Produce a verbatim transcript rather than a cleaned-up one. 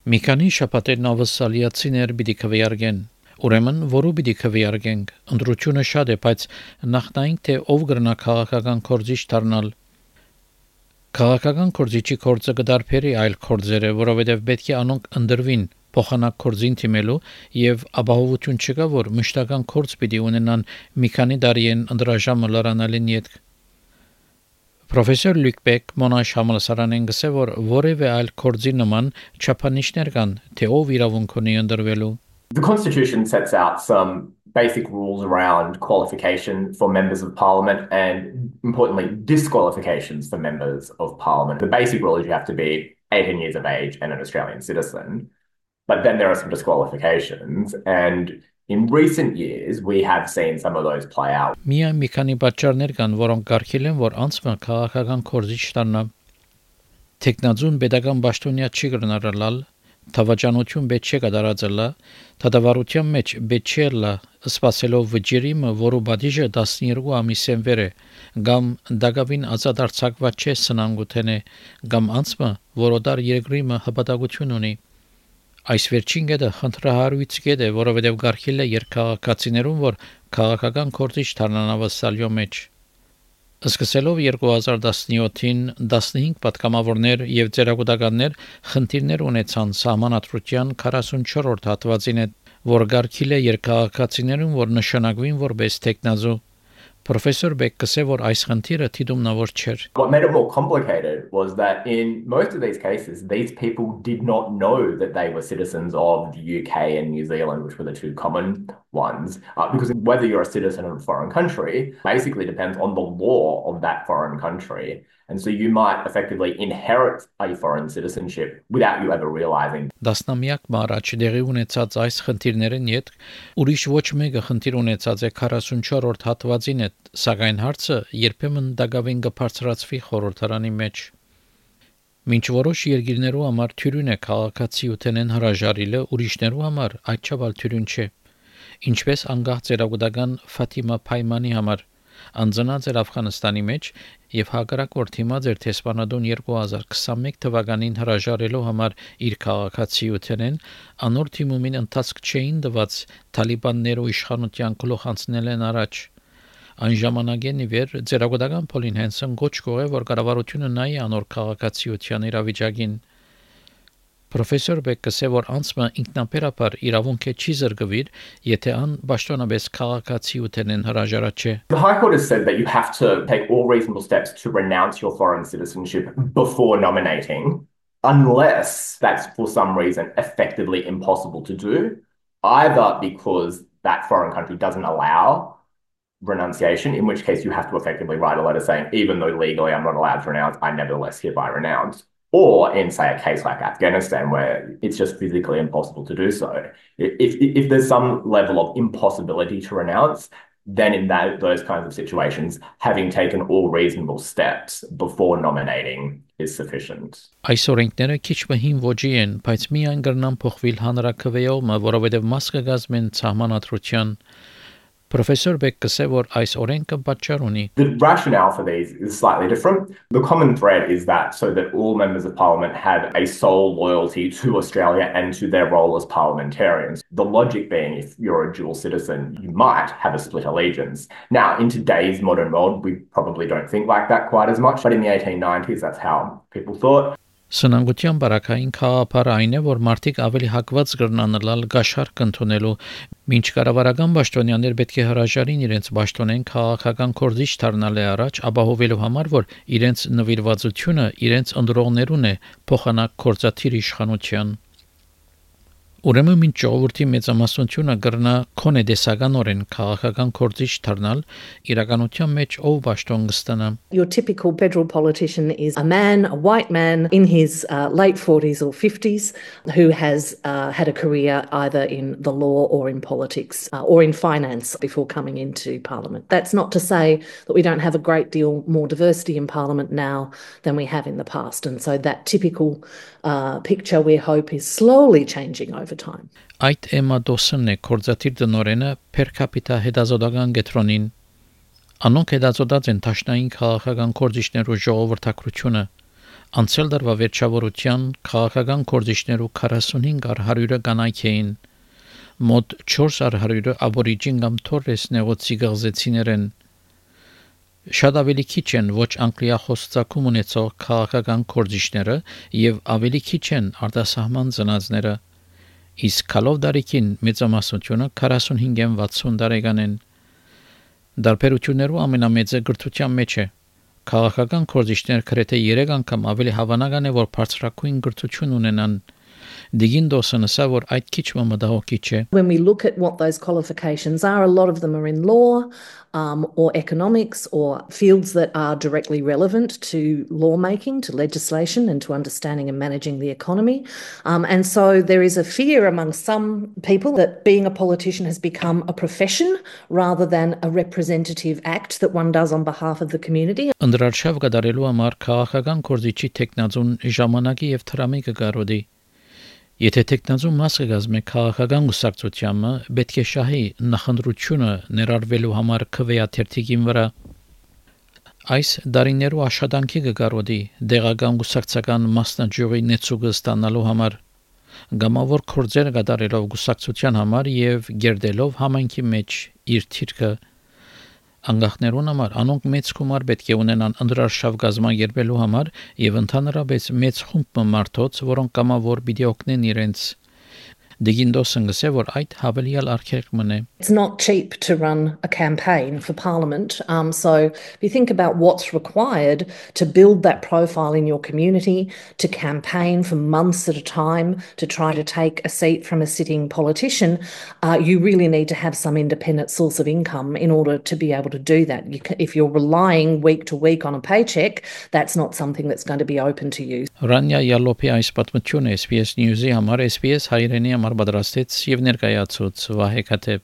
Մի քանի շաբաթեր նավասալիացիներ պիտի քվեարկեն Ուրեմն որու պիտի քվեարկենք ընտրությունը շատ է բայց նախնային թե ով կգրնա քաղաքական կորձիչ դառնալ Քաղաքական կորձիչի կորձը կդարբերի այլ կորձերը որովհետև պետք է անոնք ընդրվին փոխանակ կորձին թիմելու եւ ապահովություն չկա որ մշտական կորձ պիտի ունենան մի քանի տարիեն ընդրաժամը լրանալին յետ Պրոֆեսոր Լյուկ Բեք Մոնաշ համալսարանեն գսե որ որևէ այլ կորձի նման չափանիշներ կան թե ով իրավունք ունի ընդրվելու The Constitution sets out some basic rules around qualification for members of Parliament and, importantly, disqualifications for members of Parliament. The basic rule is you have to be eighteen years of age and an Australian citizen. But then there are some disqualifications, and in recent years, we have seen some of those play out. Միայն մի քանի պատճառներ կան, որոնք կարգել են, որ անցումը քաղաքական կորձիչ դառնա։ Տեխնազուն pedagogan պաշտոնյա չի կրնարալալ Թավաճանություն պետք չէ կդարածելա, թադավարության մեջ պետք չէ լա սպասելով վճիրիմը, որու բադիժը տասնյոթ ամիսեն վեր է, կամ դակավին ազատարձակված չէ սնանգութենե, կամ անցմը, որոդար երկրիմը հպատակություն ունի։ Այս վերջին կետը խնդրահարույց կետ է, որովհետև գարխիլ է երկքաղաքացիներուն, որ քաղաքական կորձիչ դառնանավասալյո մեջ։ Սկսելով երկու հազար տասնյոթին տասնհինգ պատգամավորներ եւ ծերագուտականներ խնդիրներ ունեցան սահմանադրության քառասունչորրորդ հատվածին որ գարքիլ է երկքաղաքացիներուն որ նշանակվին որպես տեխնազու Professor Beck գսե որ այս խնդիրը թիդումնավոր չէր What made it more complicated was that in most of these cases these people did not know that they were citizens of the U K and New Zealand which were the two common ones uh, because whether you're a citizen of a foreign country basically depends on the law of that foreign country and so you might effectively inherit a foreign citizenship without you ever realizing Դասնամյակ մարաչ դեղի ունեցած այս խնդիրներն յետ ուրիշ ոչ մեկը խնդիր ունեցած է քառասունչորրորդ հատվածին է սակայն հարցը երբեմն դակավին կբարձրացվի խորհրդարանի մեջ Մինչ որոշ երկիրներու համար թյուրին է քաղաքացիութենեն հրաժարիլը ուրիշներու համար այդչափ թյուրին չէ ինչպես անգահ ծերագուտական Ֆաթիմա Փայմանի համար անձնած էր Աֆղանստանի մեջ եւ հակառակորդ հիմա ձեր տեսփանադուն երկու հազար քսանմեկ թվականին հրաժարելու համար իր քաղաքացիութենեն անոր թիմումին ընթացք չէին դված Թալիբաններու իշխանության գլուխ անցնել են առաջ Այն ժամանակեն ի վեր ծերագուտական Պոլին Հենսոն գոչ կողե որ կառավարությունը նայի անոր քաղաքացիության իրավիճակին Professor Beck գսե որ անցումը ինքնաբերաբար իրավունք է չի զրկվիր, եթե ան պաշտոնապես քաղաքացիութենեն հրաժարած չէ։ The High Court has said that you have to take all reasonable steps to renounce your foreign citizenship before nominating, unless that's for some reason effectively impossible to do, either because that foreign country doesn't allow renunciation, in which case you have to effectively write a letter saying, even though legally I'm not allowed to renounce, I nevertheless hereby renounce. Or in, say, a case like Afghanistan, where it's just physically impossible to do so. If, if there's some level of impossibility to renounce, then in that, those kinds of situations, having taken all reasonable steps before nominating is sufficient. Այս օրենքները քիչ բհին ոճի են, բայց միայն կրնան փոխվել հանրակրվեյումը, որովհետև մաս կգազմեն սահմանադրության Professor Beck գսե որ այս օրենքը պատճառ ունի The rationale for these is slightly different. The common thread is that so that all members of parliament have a sole loyalty to Australia and to their role as parliamentarians. The logic being if you're a dual citizen, you might have a split allegiance. Now, in today's modern world, we probably don't think like that quite as much, but in the eighteen nineties, that's how people thought. Սնանգության բարակային խաղապարը այն է, որ մարդիկ ավելի հակված կրնանալալ գաշարք ընդունելու, մինչ կառավարական պաշտոնյաներ պետք է հրաժարին իրենց պաշտոնեն քաղաքական կորձիչ դառնալը առաջ, ապահովելու համար, որ իրենց նվիրվածությունը իրենց ընդրողներուն է փոխանակ կորձաթիր իշխանության։ Ուրեմն մինչ ժողովրդի մեծամասնությունը կրնա քոնե դեսականորեն քաղաքական կորձիչ դառնալ, իրականության մեջ ով պաշտոն կստանա։ Your typical federal politician is a man, a white man in his uh, late forties or fifties who has uh, had a career either in the law or in politics uh, or in finance before coming into parliament. That's not to say that we don't have a great deal more diversity in parliament now than we have in the past. And so that typical uh, picture we hope is slowly changing over time. Այդ Էմմա Դոսոնն է կորձաթիր դնորենը per capita հետազոտական կենտրոնին Անոնք հետազոտած են տաշնային քաղաքական կորձիչներու ժողովրդակրությունը Անցյալ դարվա վերջավորության քաղաքական կորձիչներու քառասունհինգ առ հարյուրը կանայք էին, մոտ չորս առ հարյուրը աբորիջին կամ թորես նեղոցի գղզեցիներ են, շատ ավելի քիչ են ոչ անգլիախոս ծագում ունեցող քաղաքական կորձիչները եւ ավելի քիչ են արտասահման ծնածները, իսկ քալով դարիքին մեծամասնությունը քառասունհինգեն վաթսուն տարեկան են։ Դարբերություններու ամենամեծը գրթության մեջ է։ Քաղաքական կորձիչները գրեթե երեք անգամ ավելի հավանական է, որ բարձրակույն գրթություն ունենան։ Դիգինդոսը նշա, որ այդ քիչ մտահոգիչ է։ When we look at what those qualifications are, a lot of them are in law um, or economics or fields that are directly relevant to lawmaking, to legislation and to understanding and managing the economy. Um, and so there is a fear among some people that being a politician has become a profession rather than a representative act that one does on behalf of the community. Անդրարշավ գդարելու համար քաղաքական կորձիչի տեխնազուն ժամանակի եւ թրամի կգարոդի։ Եթե տեխնազու մասը գազմե քաղաքական գուսակցությանը, պետք է շահի նախընտրությունը ներառվելու համար քվեաթերթիկին վրա։ Այս դարիներու աշխատանքի կգարոդի դեղական գուսակցական մասնաճյուղի նեցուգը ստանալու համար, գամավոր կորձեր կատարելով գուսակցության համար եւ գերդելով համայնքի մեջ իր թիրքը անգախներուն համար անոնք մեծ գումար պետք է ունենան անդրարշավ գազագերբելու համար եւ ընդհանրապես մեծ խումբ մարդոց, որոնք կամավոր պիտի օգնեն իրենց։ Դիգինդոսը գսե որ այդ հավելյալ արգելք մնե։ It's not cheap to run a campaign for Parliament. Um, so if you think about what's required to build that profile in your community, to campaign for months at a time, to try to take a seat from a sitting politician, uh, you really need to have some independent source of income in order to be able to do that. You can, if you're relying week to week on a paycheck, that's not something that's going to be open to you. Ռանյա Յալոպի այս պատմությունը S B S News-ի համար S B S հայրենի համար պատրաստեց եւ ներկայացուց Վահե Քաթեփ։